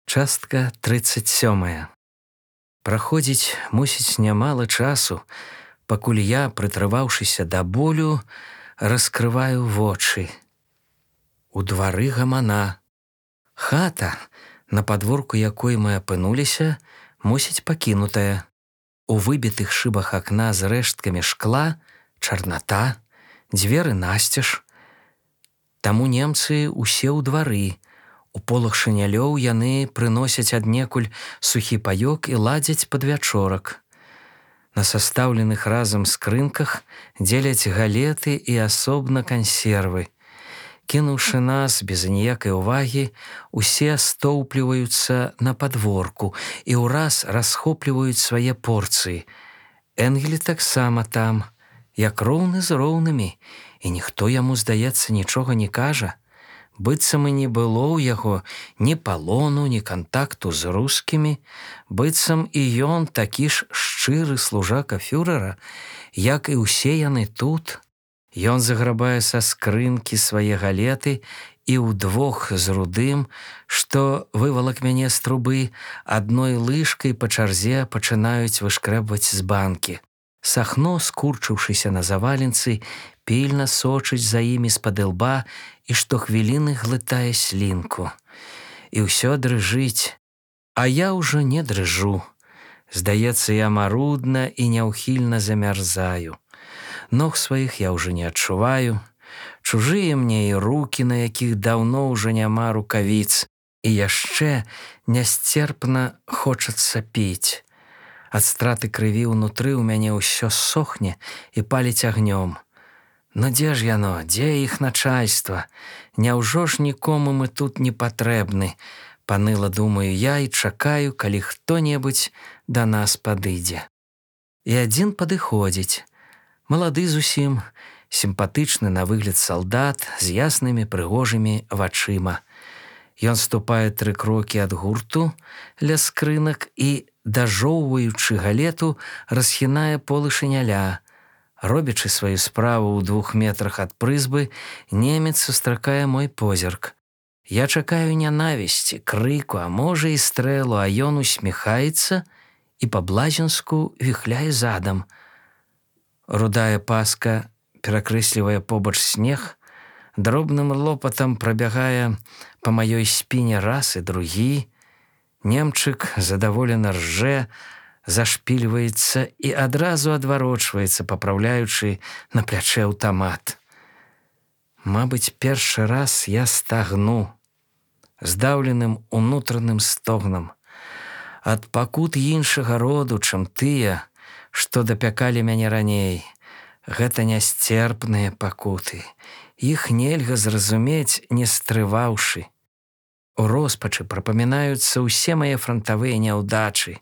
Частка 37. Праходзіць, мусіць, нямала часу, пакуль я, прытрываўшыся да болю, раскрываю вочы. У двары гамана. Хата, на падворку якой мы апынуліся, мусіць, пакінутая. У выбітых шыбах акна з рэшткамі шкла чарната, дзверы насцеж. Таму немцы ўсе ў двары. У полах шынялёў яны прыносяць аднекуль сухі паёк і ладзяць падвячорак. На састаўленых разам скрынках дзеляць галеты і асобна кансервы. Кінуўшы нас без аніякай увагі, усе стоўпліваюцца на падворку і ўраз расхопліваюць свае порцыі. Энгель таксама там, як роўны з роўнымі, і ніхто яму, здаецца, нічога не кажа. Быццам і не было ў яго ні палону, ні кантакту з рускімі, быццам і ён такі ж шчыры служака фюрэра, як і ўсе яны тут. Ён заграбае са скрынкі свае галеты і ўдвох з рудым, што вывалак мяне з трубы, адной лыжкай па чарзе пачынаюць вышкрэбваць з банкі. Сахно, скурчыўшыся на заваленцы, пільна сочыць за імі з-пад ілба і штохвіліны глытае слінку. І ўсё дрыжыць, а я ўжо не дрыжу. Здаецца, я марудна і няўхільна замярзаю. Ног сваіх я ўжо не адчуваю. Чужыя мне і рукі, на якіх даўно ўжо няма рукавіц. І яшчэ нясцерпна хочацца піць. Ад страты крыві ўнутры ў мяне ўсё сохне і паліць агнём. Ну дзе ж яно, дзе іх начальства? Няўжо ж нікому мы тут не патрэбны? Паныла, думаю я, і чакаю, калі хто-небудзь да нас падыдзе. І адзін падыходзіць. Малады зусім, сімпатычны на выгляд салдат з яснымі прыгожымі вачыма. Ён ступае 3 крокі ад гурту ля скрынак і, дажоўваючы галету, расхінае полы шыняля. Робячы сваю справу ў 2 метрах ад прызбы, немец сустракае мой позірк. Я чакаю нянавісці, крыку, а можа і стрэлу, а ён усміхаецца і па-блазенску віхляе задам. Рудая паска перакрэслівае побач снег, дробным лопатам прабягае па маёй спіне раз і другі. Немчык задаволена ржэ, зашпільваецца і адразу адварочваецца, папраўляючы на плячэ аўтамат. Мабыць, першы раз я стагну, здаўленым унутраным стогнам. Ад пакут іншага роду, чым тыя, што дапякалі мяне раней. Гэта нясцерпныя пакуты. Іх нельга зразумець, не стрываўшы. У роспачы прапамінаюцца ўсе мае франтавыя няўдачы.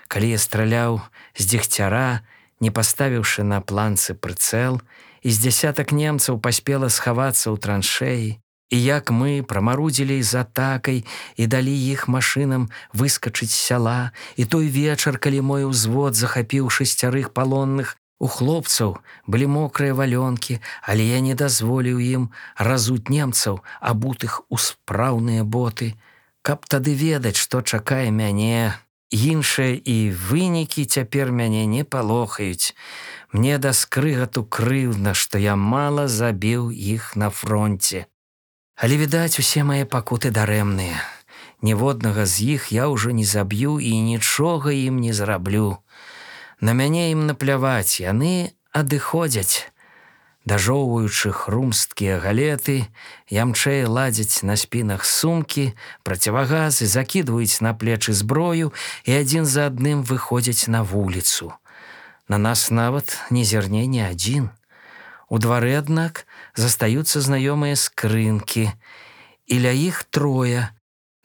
Калі я страляў з дзегцяра, не паставіўшы на планцы прыцэл, і з дзясятак немцаў паспела схавацца ў траншэі, і як мы прамарудзілі з атакай і далі іх машынам выскачыць з сяла, і той вечар, калі мой узвод захапіў 6 палонных, у хлопцаў былі мокрыя валёнкі, але я не дазволіў ім разуць немцаў, абутых у спраўныя боты. Каб тады ведаць, што чакае мяне. Іншыя і вынікі цяпер мяне не палохаюць. Мне да скрыгату крыўдна, што я мала забіў іх на фронце. Але, відаць, усе мае пакуты дарэмныя. Ніводнага з іх я ўжо не заб'ю і нічога ім не зраблю. На мяне ім напляваць, яны адыходзяць. Дажоўваючы хрумсткія галеты, ямчэй ладзяць на спінах сумкі, процівагазы, закідваюць на плечы зброю і адзін за адным выходзяць на вуліцу. На нас нават не зірне ні адзін. У двары, аднак, застаюцца знаёмыя скрынкі, і ля іх 3.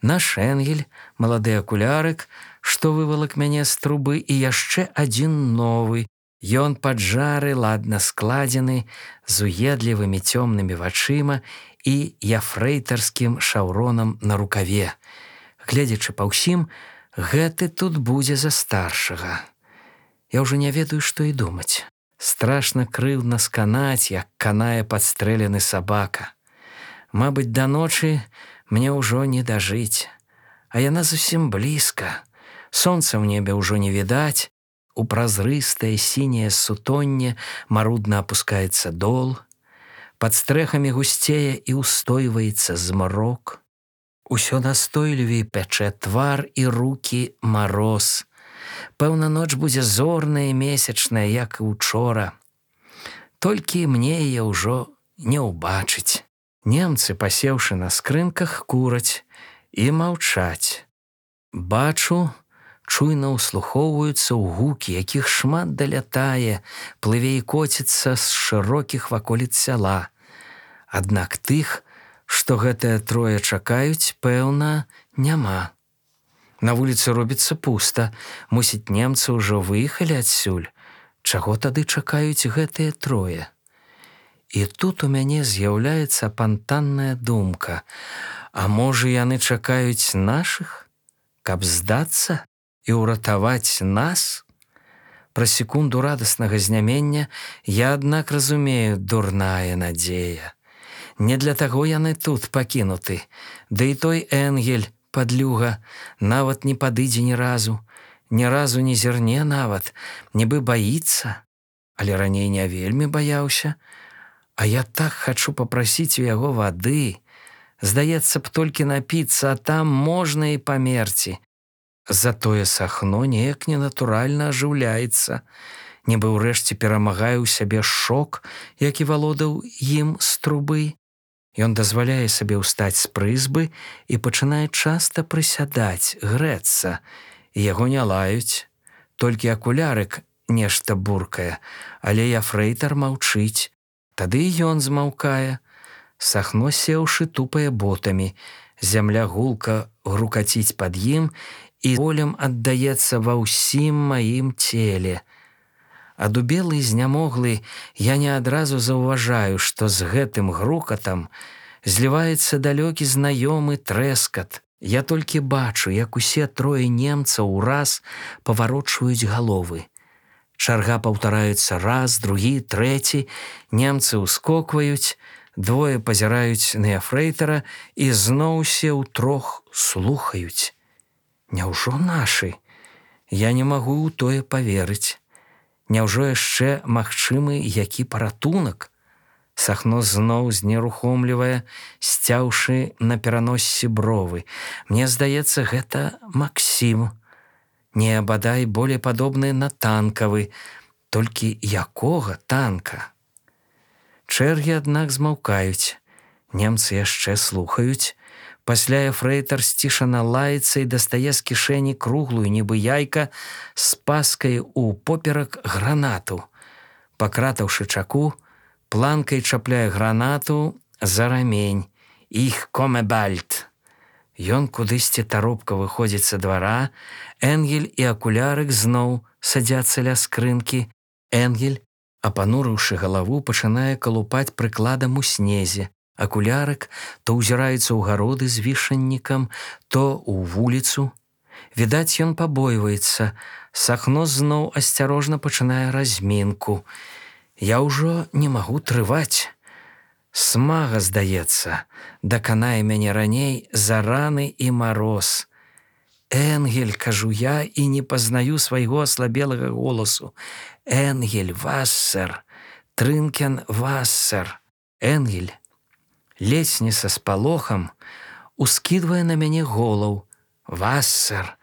Наш Энгель, малады акулярык, што вывалак мяне з трубы, і яшчэ адзін новы. Ён паджары, ладна складзены, з уедлівымі цёмнымі вачыма і яфрэйтарскім шаўронам на рукаве. Гледзячы па ўсім, гэты тут будзе за старшага. Я ўжо не ведаю, што і думаць. Страшна крыўдна сканаць, як канае падстрэлены сабака. Мабыць, да ночы мне ўжо не дажыць. А яна зусім блізка. Сонца ў небе ўжо не відаць. У празрыстае сіняе сутонне марудна апускаецца дол. Пад стрэхамі гусцее і ўстойваецца змрок. Усё настойлівей пячэ твар і рукі мароз. Пэўна, ноч будзе зорная і месячная, як і учора. Толькі мне яе ўжо не ўбачыць. Немцы, пасеўшы на скрынках, кураць і маўчаць. Бачу, чуйна ўслухоўваюцца ў гукі, якіх шмат далятае, плыве і коціцца з шырокіх ваколіц сяла. Аднак тых, што гэтыя трое чакаюць, пэўна, няма. На вуліцы робіцца пуста. Мусіць, немцы ўжо выехалі адсюль. Чаго тады чакаюць гэтыя трое? І тут у мяне з'яўляецца апантанная думка. А можа, яны чакаюць нашых, каб здацца і ўратаваць нас? Пра секунду радаснага знямення я, аднак, разумею, дурная надзея. Не для таго яны тут пакінуты. Да і той Энгель, падлюга, нават не падыдзе ні разу не зірне нават, нібы баіцца. Але раней не вельмі баяўся. А я так хачу папрасіць у яго вады. Здаецца б, толькі напіцца, а там можна і памерці. Затое Сахно неяк ненатуральна ажыўляецца. Нібы ўрэшце перамагае ў сябе шок, які валодаў ім з трубы. Ён дазваляе сабе ўстаць з прызбы і пачынае часта прысядаць, грэцца. І яго не лаюць. Толькі акулярык нешта буркае, але яфрэйтар маўчыць. Тады і ён змаўкае. Сахно, сеўшы, тупае ботамі. Зямля гулка грукаціць пад ім і болем аддаецца ва ўсім маім целе. Адубелы і знямоглы, я не адразу заўважаю, што з гэтым грукатам зліваецца далёкі знаёмы трэскат. Я толькі бачу, як усе трое немцаў ураз паварочваюць галовы. Чарга паўтараецца раз, другі, трэці. Немцы ўскокваюць, двое пазіраюць на яфрэйтара і зноў усе ўтрох слухаюць. Няўжо нашы? Я не магу ў тое паверыць. Няўжо яшчэ магчымы які паратунак? Сахно зноў знерухомлівае, сцяўшы на пераноссі бровы. Мне здаецца, гэта Максім. Не, бадай, болей падобны на танкавы. Толькі якога танка? Чэргі, аднак, змаўкаюць. Немцы яшчэ слухаюць. Пасля яфрэйтар сцішана лаецца і дастае з кішэні круглую, нібы яйка, з паскай у поперак гранату. Пакратаўшы чаку, планкай чапляе гранату за рамень. «Их коме бальд». Ён кудысьці таропка выходзіць са двара. Энгель і акулярык зноў садзяцца ля скрынкі. Энгель, апанурыўшы галаву, пачынае калупаць прыкладам у снезе. Акулярык то ўзіраецца ў гароды з вішаннікам, то ў вуліцу. Відаць, ён пабойваецца. Сахно зноў асцярожна пачынае размінку. Я ўжо не магу трываць. Смага, здаецца, даканае мяне раней за раны і мароз. «Энгель», кажу я і не пазнаю свайго аслабелага голасу. «Энгель, Вассер, Трынкен, Вассер». Энгель, ледзь не са спалохам, ускідвае на мяне голаў. «Вассер,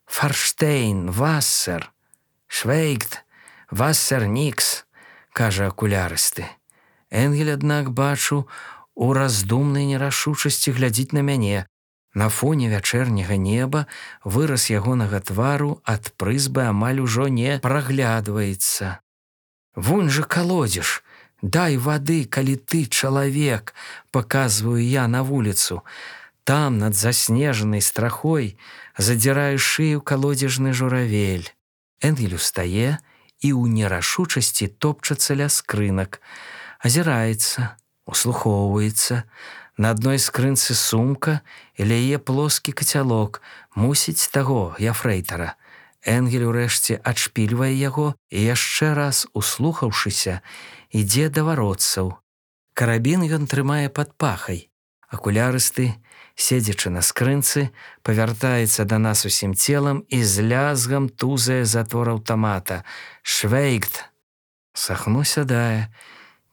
Фарштейн, Вассер, Швейгт, Вассер нікс», кажа акулярысты. Энгель, аднак, бачу, у раздумнай нерашучасці глядзіць на мяне. На фоне вячэрняга неба выраз ягонага твару ад прызбы амаль ужо не праглядваецца. «Вунь жа калодзеж! Дай вады, калі ты чалавек!» паказваю я на вуліцу. Там, над заснежанай страхой, задзірае шыю калодзежны журавель. Энгель устае і ў нерашучасці топчацца ля скрынак. Азіраецца, услухоўваецца. На адной скрынцы сумка і ля яе плоскі кацялок, мусіць таго яфрэйтара. Энгель урэшце адшпільвае яго і яшчэ раз, услухаўшыся, ідзе да варотцаў. Карабін ён трымае пад пахай. Акулярысты седзячы на скрынцы, павяртаецца да нас усім целам і з лязгам тузае затвор аўтамата. «Швейгт!» Сахно сядае,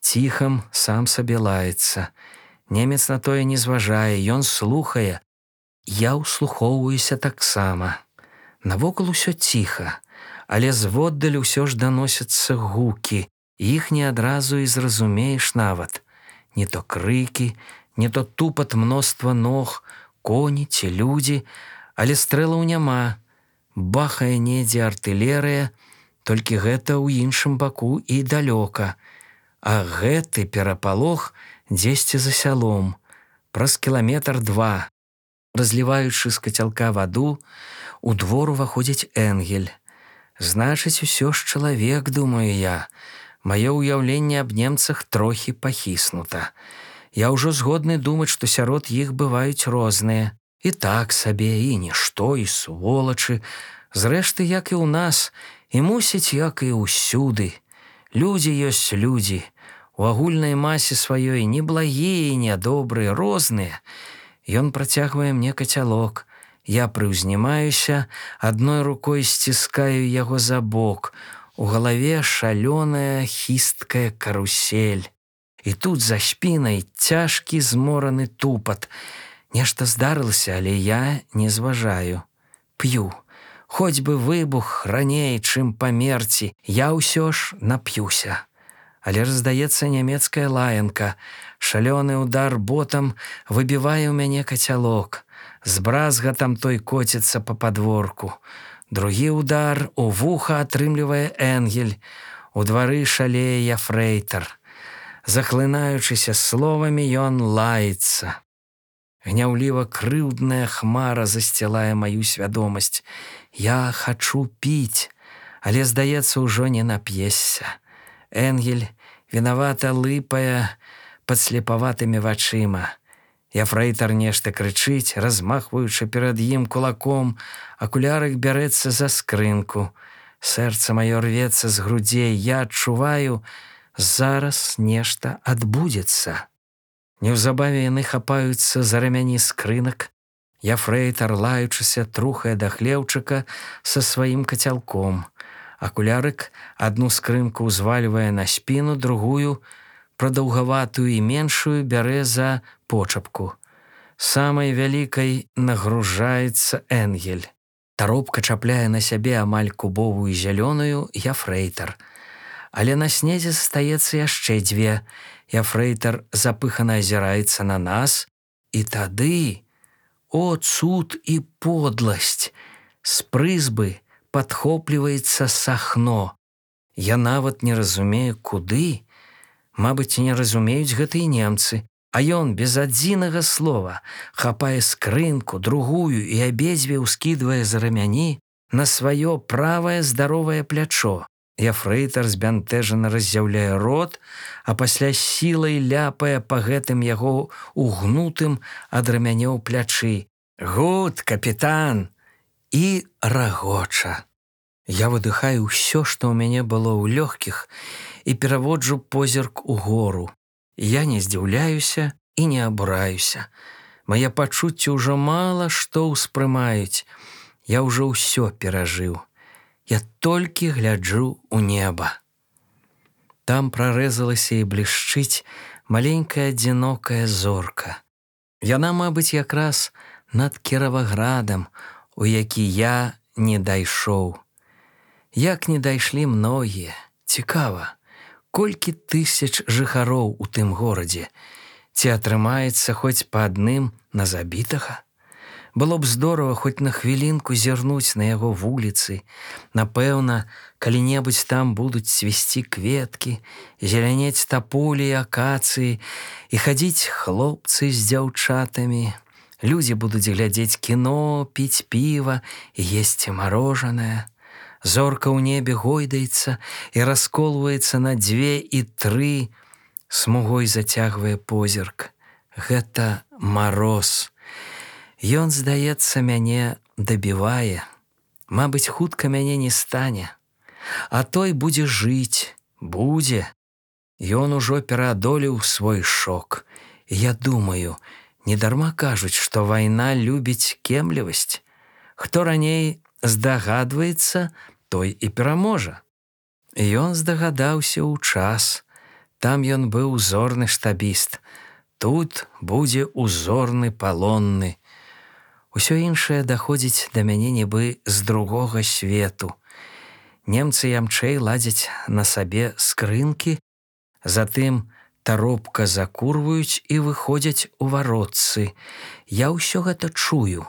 ціхам сам сабе лаецца. Немец на тое не зважае, ён слухае. Я ўслухоўваюся таксама. Навокал усё ціха, але зводдаль усё ж даносяцца гукі. Іх не адразу і зразумееш нават. Не то крыкі, не то тупат мноства ног, коні ці людзі, але стрэлаў няма. Бахае недзе артылерыя, толькі гэта ў іншым баку і далёка. А гэты перапалох дзесьці за сялом, праз 2 кіламетр. Разліваючы з кацялка ваду, у двор уваходзіць Энгель. Значыць, усё ж чалавек, думаю я. Маё ўяўленне аб немцах трохі пахіснута. Я ўжо згодны думаць, што сярод іх бываюць розныя. І так сабе, і нішто, і сволачы. Зрэшты, як і ў нас, і мусіць, як і ўсюды. Людзі ёсць людзі. У агульнай масе сваёй неблагія і нядобрыя, розныя. Ён працягвае мне кацялок. Я прыўзнімаюся, адной рукой сціскаю яго за бок. У галаве шалёная хісткая карусель. І тут за спінай цяжкі змораны тупат. Нешта здарылася, але я не зважаю. П'ю. Хоць бы выбух раней, чым памерці, я ўсё ж нап'юся. Але раздаецца нямецкая лаянка. Шалёны удар ботам выбівае ў мяне кацялок. З бразгатам той коціцца па падворку. Другі удар у вуха атрымлівае Энгель. У двары шалее яфрэйтар. Захлынаючыся словамі, ён лаецца. Гняўліва крыўдная хмара засцілае маю свядомасць. Я хачу піць, але, здаецца, ўжо не нап'ешся. Энгель вінавата лыпае пад слепаватымі вачыма. Яфрэйтар нешта крычыць, размахваючы перад ім кулаком. Акулярык бярэцца за скрынку. Сэрца маё рвецца з грудзей. Я адчуваю, зараз нешта адбудзецца. Неўзабаве яны хапаюцца за рамяні скрынак. Яфрэйтар, лаючыся, трухае да хлеўчыка са сваім кацялком. Акулярык адну скрынку ўзвальвае на спіну, другую, прадаўгаватую і меншую, бярэ за почапку. Самай вялікай нагружаецца Энгель. Таропка чапляе на сябе амаль кубовую зялёную яфрэйтар. Але на снезе застаецца яшчэ 2. Яфрэйтар запыхана азіраецца на нас. І тады, о, цуд і подласць, з прызбы падхопліваецца Сахно. Я нават не разумею, куды. Мабыць, не разумеюць гэта і немцы. А ён без адзінага слова хапае скрынку, другую і абедзве ўскідвае за рамяні на сваё правае здаровае плячо. Яфрэйтар збянтэжана раззяўляе рот, а пасля сілай ляпае па гэтым яго угнутым ад рамянёў плячы. «Гуд, капітан!» І рагоча. Я выдыхаю ўсё, што ў мяне было ў лёгкіх, і пераводжу позірк угору. Я не здзіўляюся і не абураюся. Мае пачуцці ўжо мала што ўспрымаюць. Я ўжо ўсё перажыў. Я толькі гляджу ў неба. Там прарэзалася і блішчыць маленькая адзінокая зорка. Яна, мабыць, якраз над Кіраваградам, у які я не дайшоў. Як не дайшлі многія. Цікава, колькі тысяч жыхароў у тым горадзе? Ці атрымаецца хоць па адным на забітага? Было б здорава хоць на хвілінку зірнуць на яго вуліцы. Напэўна, калі-небудзь там будуць цвісці кветкі, зелянець таполі і акацыі, і хадзіць хлопцы з дзяўчатамі. Людзі будуць глядзець кіно, піць піва і есці марожанае. Зорка ў небе гойдаецца і расколваецца на 2 і 3, смугой зацягвае позірк. Гэта мароз. Ён, здаецца, мяне дабівае. Мабыць, хутка мяне не стане. А той будзе жыць, будзе. Ён ужо пераадолеў свой шок. Я думаю, Недарма кажуць, што вайна любіць кемлівасць. Хто раней здагадваецца, той і пераможа. Ён здагадаўся ў час. Там ён быў узорны штабіст. Тут будзе узорны палонны. Усё іншае даходзіць да мяне нібы з другога свету. Немцы ямчэй ладзяць на сабе скрынкі, затым таропка закурваюць і выходзяць у варотцы. Я ўсё гэта чую,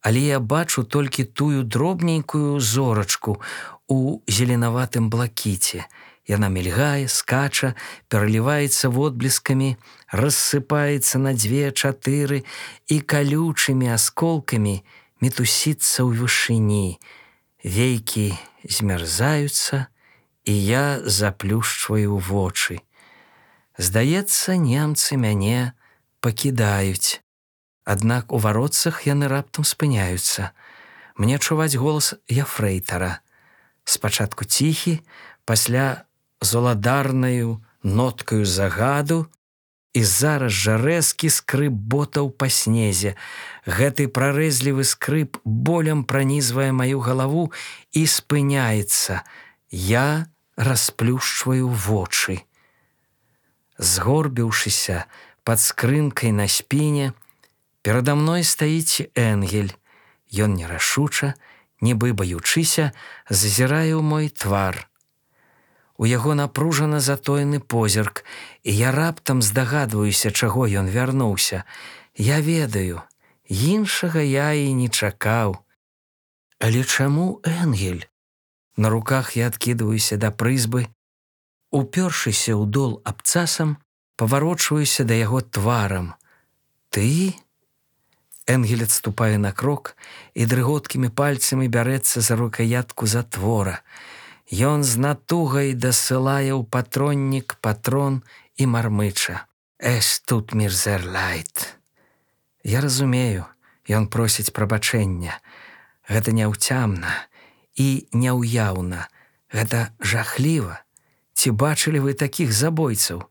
але я бачу толькі тую дробненькую зорачку у зеленаватым блакіце. Яна мільгае, скача, пераліваецца водблескамі, рассыпаецца на 2-4 і калючымі асколкамі мітусіцца ў вышыні. Вейкі змярзаюцца, і я заплюшчваю вочы. Здаецца, немцы мяне пакідаюць. Аднак у варотцах яны раптам спыняюцца. Мне чуваць голас яфрэйтара. Спачатку ціхі, пасля з уладарнаю ноткаю загаду і зараз жа рэзкі скрып ботаў па снезе. Гэты прарэзлівы скрып болем пранізвае маю галаву і спыняецца. Я расплюшчваю вочы. Згорбіўшыся пад скрынкай на спіне, перада мной стаіць Энгель. Ён нерашуча, нібы баючыся, зазірае ў мой твар. У яго напружана затоены позірк, і я раптам здагадваюся, чаго ён вярнуўся. Я ведаю, іншага я і не чакаў. Але чаму Энгель? На руках я адкідваюся да прызбы, упёршыся ў дол абцасам, паварочваюся да яго тварам. Ты? Энгель адступае на крок і дрыготкімі пальцамі бярэцца за рукаятку затвора. Ён з натугай дасылае ў патроннік патрон і мармыча. «Es tut mir sehr leid». Я разумею, ён просіць прабачэння. Гэта няўцямна і няўяўна. Гэта жахліва. Ці бачылі вы такіх забойцаў?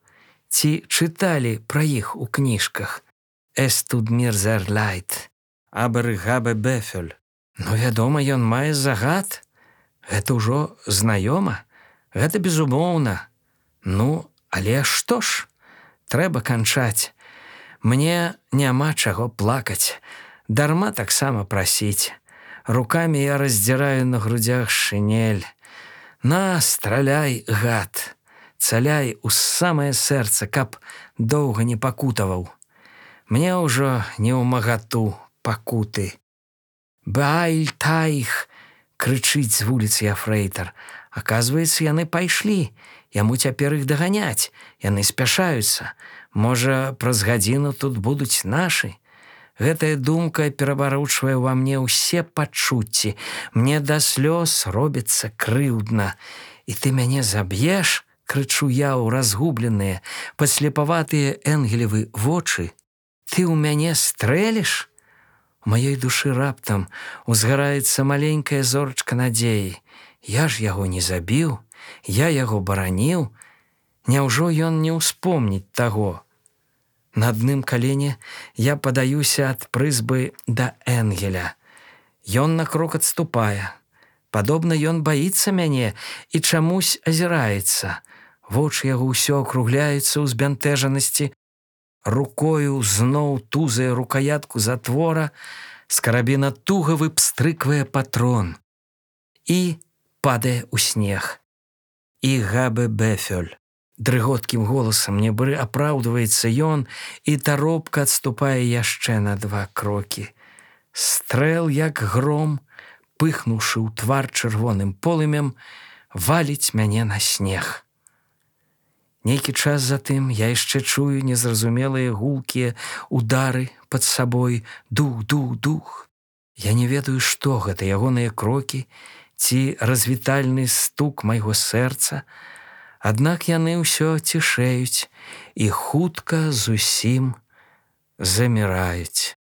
Ці чыталі пра іх у кніжках? «Es tut mir sehr leid». «Aber ich habe Befehl». Ну, вядома, ён мае загад. Гэта ўжо знаёма. Гэта безумоўна. Ну, але што ж? Трэба канчаць. Мне няма чаго плакаць. Дарма таксама прасіць. Рукамі я раздзіраю на грудзях шинель. На, страляй, гад. Цаляй у самае сэрца, каб доўга не пакутаваў. Мне ўжо не ў магату пакуты. «Баіль таіх!» крычыць з вуліцы яфрэйтар. Аказваецца, яны пайшлі. Яму цяпер іх даганяць. Яны спяшаюцца. Можа, праз гадзіну тут будуць нашы. Гэтая думка перабаручвае ва мне ўсе пачуцці. Мне да слёз робіцца крыўдна. «І ты мяне заб'еш?» крычу я ў разгубленыя, падслепаватыя Энгелевы вочы. «Ты ў мяне стрэліш?» У маёй душы раптам узгараецца маленькая зорачка надзеі. Я ж яго не забіў, я яго бараніў. Няўжо ён не ўспомніць таго? На адным калене я падаюся ад прызбы да Энгеля. Ён на крок адступае. Падобна, ён баіцца мяне і чамусь азіраецца. Вочы яго ўсё акругляюцца ў збянтэжанасці. Рукою зноў тузае рукаятку затвора, з карабіна туга выпстрыквае патрон і падае ў снег. «Ich habe Befehl». Дрыготкім голасам нібы апраўдваецца ён, і таропка адступае яшчэ на 2 крокі. Стрэл, як гром, пыхнуўшы ў твар чырвоным полымем, валіць мяне на снег. Нейкі час затым я яшчэ чую незразумелыя гулкія удары пад сабой. Дух, дух, дух. Я не ведаю, што гэта, ягоныя крокі ці развітальны стук майго сэрца. Аднак яны ўсё цішэюць і хутка зусім заміраюць.